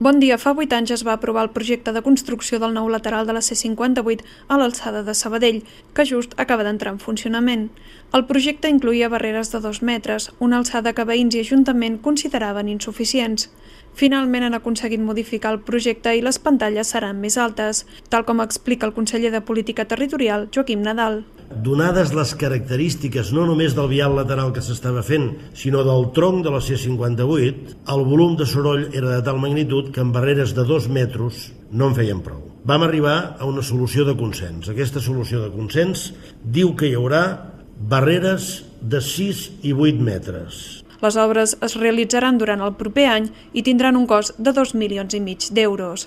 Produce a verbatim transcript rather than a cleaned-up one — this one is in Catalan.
Bon dia, fa vuit anys es va aprovar el projecte de construcció del nou lateral de la C cinquanta-vuit a l'alçada de Sabadell, que just acaba d'entrar en funcionament. El projecte incloïa barreres de dos metres, una alçada que veïns i ajuntament consideraven insuficients. Finalment han aconseguit modificar el projecte i les pantalles seran més altes, tal com explica el conseller de Política Territorial, Joaquim Nadal. Donades les característiques no només del vial lateral que s'estava fent, sinó del tronc de la C cinquanta-vuit, el volum de soroll era de tal magnitud que amb barreres de dos metres no en feien prou. Vam arribar a una solució de consens. Aquesta solució de consens diu que hi haurà barreres de sis i vuit metres. Les obres es realitzaran durant el proper any i tindran un cost de dos milions i mig d'euros.